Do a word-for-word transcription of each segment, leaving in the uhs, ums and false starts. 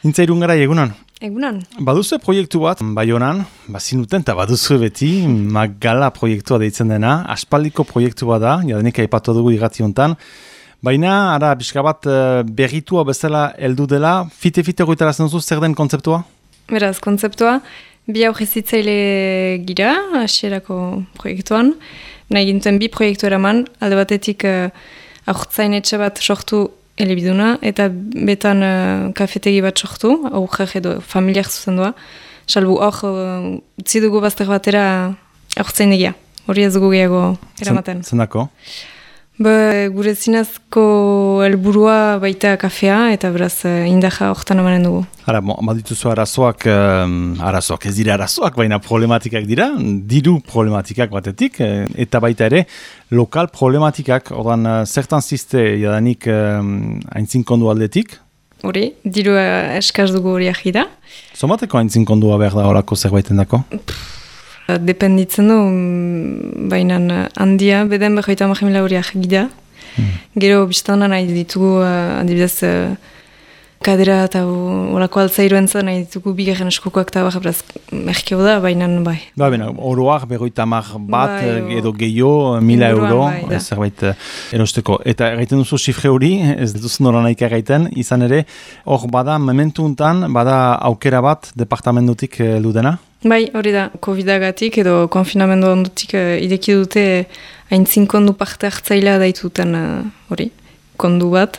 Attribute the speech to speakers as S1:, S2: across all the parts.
S1: Intza Irungara egunan.
S2: Egunan.
S1: Baduzu proiektu bat, Baionan, bazinuten eta baduzu beti, Magala proiektua deitzen dena, aspaldiko proiektu bat da, jadenik aipatu dugu irrati hontan, baina, ara, pixka bat berritua bezala heldu dela, fite-fite goitarazen duzu, zer den kontzeptua?
S2: Beraz, kontzeptua, bi aurrezitzaile gira, hasierako proiektuan, nahi gintzen bi proiektu eraman, alde batetik uh, aurtzain etxe bat sortu elebiduna, eta betan uh, kafetegi bat sortu, aurrak edo familiak zuzendua, salbu hor uh, utzi dugu bazter batera aurtzain egia, hori ez dugu gehiago eramaten.
S1: Zendako?
S2: Be, gure zinazko helburua baita kafea, eta beraz uh, indaja hortan amanen dugu.
S1: Hara, badituzu arazoak, um, arazoak, ez dira arazoak, baina problematikak dira, diru problematikak batetik, eta baita ere, lokal problematikak, ordan uh, zertan ziste jadanik um, haintzinkondu aldetik?
S2: Hori, diru uh, eskaz dugu hori ahida.
S1: Zomateko haintzinkondua behar da horako zerbaiten dako?
S2: Dependitzen du, baina handia, beden behoita mahemila horiak gida. Hmm. Gero biztanan nahi ditugu, uh, adibidez, uh, kadera eta horako altzairoen zen, nahi ditugu bigarren eskukoak eta baxa, beraz, merkeo da, baina bai.
S1: Ba, bena, oroak behoita mah bat,
S2: bai,
S1: edo gehiago, mila euro,
S2: bai,
S1: zerbait erosteko. Eta egiten duzu sifre hori, ez duzu nora nahik egiten, izan ere, hor bada, momentu untan, bada aukera bat, departamentutik heldu dena?
S2: Bai, hori da, COVID-agatik edo konfinamendu ondutik uh, ideki dute haintzinkondu parte hartzailea daituten hori, uh, kondu bat,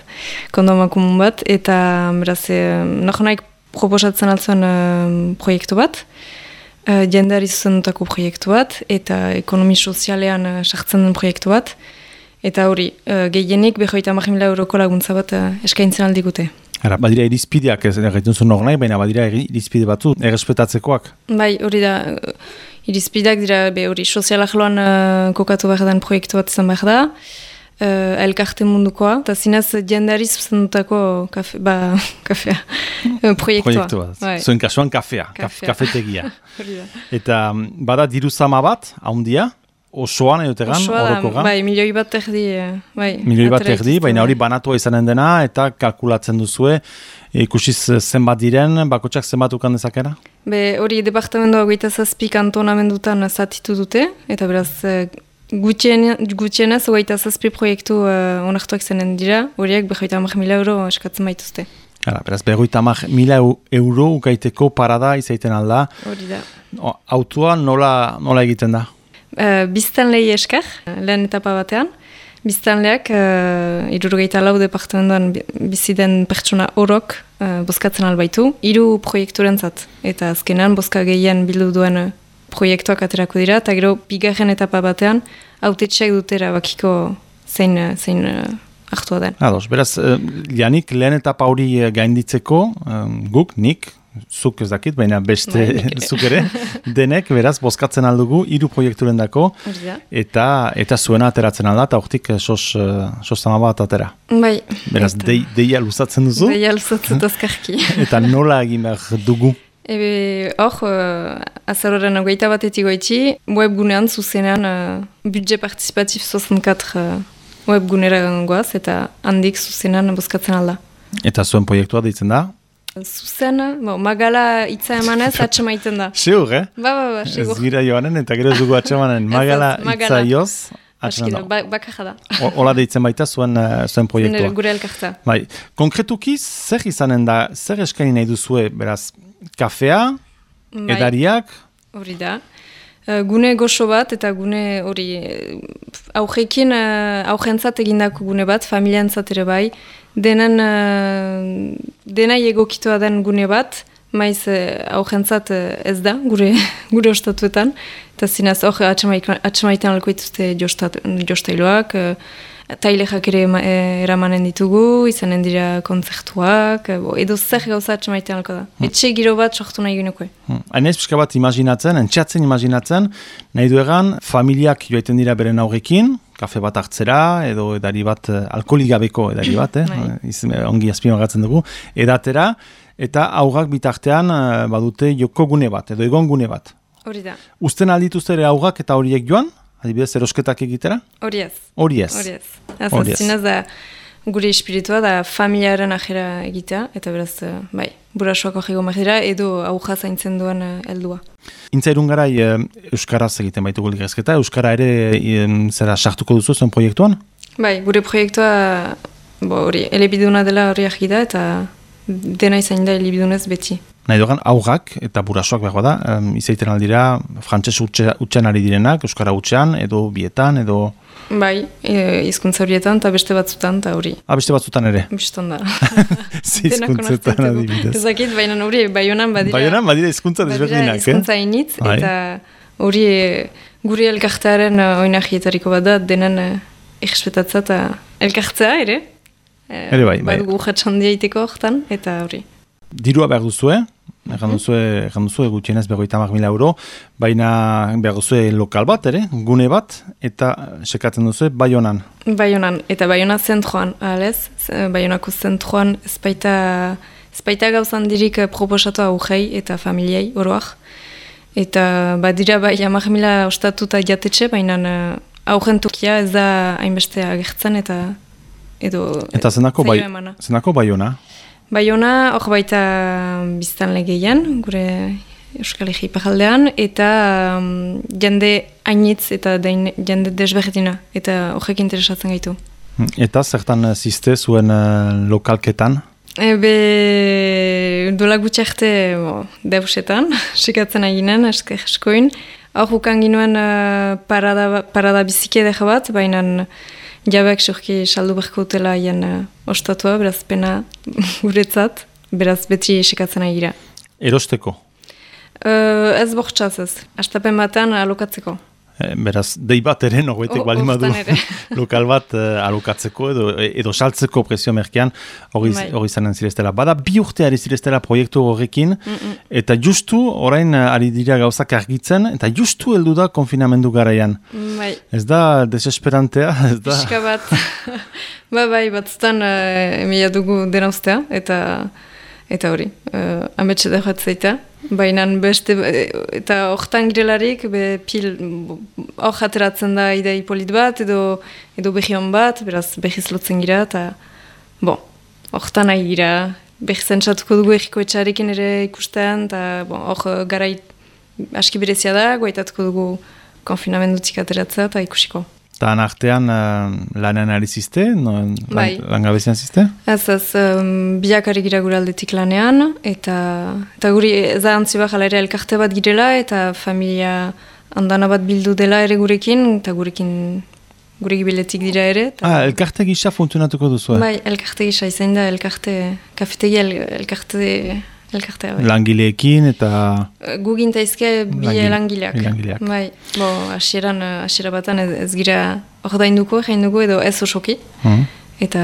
S2: kondu amakumun bat, eta beraz, eh, naho naik proposatzen altzuen uh, proiektu bat, uh, jendari zuzendutako proiektu bat, eta ekonomi sozialean uh, sartzen den proiektu bat, eta hori, uh, gehienik behoita hamar euroko laguntza bat uh, eskaintzen aldigute.
S1: Ara, badira irizpideak, ez egiten zuen hor nahi, baina badira irizpide batzu, errespetatzekoak.
S2: Bai, hori da, irizpideak dira, be hori, sozialak loan uh, kokatu behar den proiektu bat izan behar da, uh, elkarte mundukoa, eta zinez jendari zuzendutako kafe, ba, kafea, uh, proiektua.
S1: Proiektua, bai. Zuen kasuan kafea, kafea. Kafetegia.
S2: Hori da.
S1: Eta bada diru zama bat, haundia, osoan edotegan, orokogan?
S2: Bai, milioi bat erdi. Bai,
S1: milioi bat erdi, baina hori banatua izanen dena, eta kalkulatzen duzue, ikusiz zenbat diren, bakotxak zenbat ukan dezakera?
S2: Be, hori departamentoa goita zazpi kantonamendutan zatitu dute, eta beraz, gutxien, gutxienez goita zazpi proiektu uh, onartuak zenen dira, horiek behoita hamar mila euro eskatzen baituzte.
S1: Hala, beraz, behoita hamar mila euro ukaiteko parada izaiten alda.
S2: Hori da.
S1: Autua nola, nola egiten da?
S2: Uh, Biztanlei esker, lehen etapa batean. Biztanleak, uh, irurogeita lau departamentoan biziden pertsona orok uh, bozkatzen albaitu, hiru proiekturentzat. Eta azkenan, bozka gehien bildu duen uh, proiektuak aterako dira, eta gero, bigarren etapa batean, autetxeak dutera bakiko zein, uh, zein uh, hartua den.
S1: Ados, beraz, uh, janik lehen etapa hori gainditzeko, um, guk, nik, zuk ez dakit, baina beste zuk ere, denek, beraz, bozkatzen aldugu, hiru proiekturen dako, eta, eta zuena ateratzen alda, eta hortik sos, sos zama bat atera.
S2: Bai.
S1: Beraz,
S2: eta...
S1: dei, deia luzatzen duzu.
S2: Deia luzatzen dazkarki.
S1: Eta nola egin behar dugu?
S2: Ebe, hor, uh, azaroren ogeita batetik goitzi, webgunean zuzenean uh, budget participatif soixante-quatre uh, webgunera gangoaz, eta handik zuzenean bozkatzen alda.
S1: Eta zuen proiektua deitzen da?
S2: Zuzen, bo, Magala hitza emanez atxemaiten da.
S1: Seur, eh?
S2: Ba, ba, ba, seur.
S1: Ez gira joanen, eta gero ez dugu atxemanen. Magala hitza joz, atxemanen da.
S2: Bakarra da.
S1: Ola deitzen baita zuen, uh, zuen proiektua.
S2: Gure elkartza.
S1: Bai, konkretuki, zer izanen da, zer eskaini nahi duzue, beraz, kafea, bai, edariak?
S2: Hori da. Uh, gune goxo bat, eta gune hori aujekin, uh, aujentzat egindako gune bat, familiantzat ere bai, denen, uh, denai egokitoa den gune bat, maiz uh, aujentzat uh, ez da, gure, gure ostatuetan, eta zinaz, hor, atxamaiten alko ituzte jostailoak, uh, tailexak ere ema, e, eramanen ditugu, izanen dira kontzertuak, bo, edo zer gauza atxamaiten alko da. Hmm. Etxe giro bat sortu nahi gineko.
S1: Hmm. Hainez pixka bat imaginatzen, entxatzen imaginatzen, nahi du egan, familiak joaiten dira beren aurrekin, kafe bat hartzera, edo edari bat, alkoholik gabeko edari bat, eh? Iz, ongi azpimagatzen dugu, edatera, eta aurrak bitartean badute joko gune bat, edo egon gune bat.
S2: Hori da.
S1: Uzten aldituzte ere aurrak eta horiek joan? Adibidez, erosketak egitera?
S2: Hori ez.
S1: Hori ez.
S2: Hori ez. Azaz, zinez da, gure espiritua da familiaren ajera egitea, eta beraz, uh, bai, burasoak hori gomak dira, edo auja zaintzen duen uh, heldua.
S1: Intza irungarai e, Euskaraz egiten baitugu ligazketa, Euskara ere e, zera sartuko duzu zen proiektuan?
S2: Bai, gure proiektua hori elebiduna dela hori agida eta dena izan da elebidunez beti.
S1: Nahi dogan, aurrak eta burasoak behar da, um, izaiten aldira frantses utxean ari direnak, Euskara utxean, edo bietan, edo...
S2: Bai, e, izkuntza horietan eta beste batzutan eta hori.
S1: Ah, beste batzutan ere?
S2: Biston da.
S1: Ze izkuntzetan adibidez.
S2: Ezakit, baina hori Baionan badira...
S1: Baionan badira izkuntza desberdinak, eh?
S2: Izkuntza initz, eta hori guri elkartearen oinahietariko bat da, denen egespetatzea eta elkartzea ere.
S1: Ere bai, bai.
S2: Badugu jatxandia iteko hortan, eta hori.
S1: Dirua behar duzue, egan duzue, egan duzue gutxienez berrogeita hamar mila euro, baina behar duzue lokal bat ere, gune bat, eta sekatzen duzue Baionan.
S2: Baionan, eta Baiona zentroan, ahalez, Baionako zentroan espaita, espaita gauzan dirik proposatu aurrei eta familiei oroak. Eta badira bai hamar mila ostatuta jatetxe, baina aurren Turkia ez da hainbeste agertzen eta edo...
S1: Eta zenako, bai, zenako Baiona?
S2: Baiona, hor baita biztan legeian, gure Euskal Herri iparraldean, eta um, jende hainitz eta dain, jende desberdina, eta horrek interesatzen gaitu.
S1: Eta zertan ziste zuen uh, lokalketan?
S2: Ebe, dola gutxi arte deusetan, sekatzen aginen, esker eskoin. Hor ukan ginuen uh, parada, parada bizike dega bat, baina jabeak sorki saldu berko utela hien uh, ostatua, beraz pena guretzat, beraz beti sekatzen agira.
S1: Erosteko?
S2: Uh, ez bortxaz ez, astapen batean alokatzeko.
S1: E, beraz, dei bat ere, norbaitek bali madu lokal bat uh, alokatzeko edo, edo saltzeko presio merkean hori bai. Zanen zireztela. Bada bi urte ari zireztela proiektu horrekin, mm -mm. eta justu orain ari dira gauzak argitzen, eta justu heldu da konfinamendu garaian.
S2: Bai.
S1: Ez da desesperantea? Ez da...
S2: Piska bat. ba, bai, batzutan uh, emilia dugu dena ustea, eta eta hori, uh, ametxe da jatzeita. Baina beste, eta hortan girelarik, be pil, hor jateratzen da idei polit bat, edo, edo behion bat, beraz behiz lotzen gira, eta bon, hortan nahi gira, behizen txatuko dugu egiko etxarekin ere ikusten, eta bon, hor garai aski berezia da, goaitatuko dugu konfinamendutik ateratzea, eta ikusiko.
S1: Eta artean uh, lanean ari ziste? No,
S2: bai.
S1: Langabezian ziste?
S2: Ez, ez, um, biak ari gira gure aldetik lanean, eta, eta guri zahantzi bat ere elkarte bat girela, eta familia andana bat bildu dela ere gurekin, eta gurekin gure gibiletik dira ere. Ta...
S1: Ah, elkarte gisa funtzionatuko duzu, eh?
S2: Bai, elkarte gisa, izan da elkarte, kafetegi el, elkarte... Elkartea, bai.
S1: Langileekin eta...
S2: Gugin taizke bi
S1: Langile,
S2: langileak.
S1: langileak.
S2: Bai, bo, asieran, asiera batan ez, ez gira ordainduko, egin dugu edo ez osoki. Mm. Eta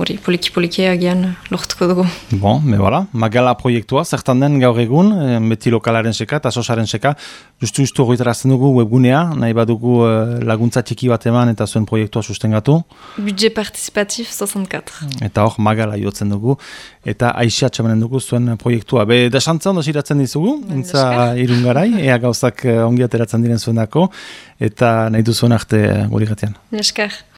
S2: hori, poliki-poliki agian lortuko dugu.
S1: Bon, me bala, Magala proiektua, zertan den gaur egun, beti lokalaren seka eta sosaren seka, justu-justu horretarazten dugu webgunea, nahi badugu laguntza txiki bat eman eta zuen proiektua sustengatu.
S2: Budget participatif seixanta-lau.
S1: Eta hor, Magala jotzen dugu, eta Aixia txamanen dugu zuen proiektua. Be, desantza ondo siratzen dizugu, intza irungarai, ea gauzak ongi ateratzen diren zuen dako, eta nahi duzuen arte guri gatean.
S2: Neskar.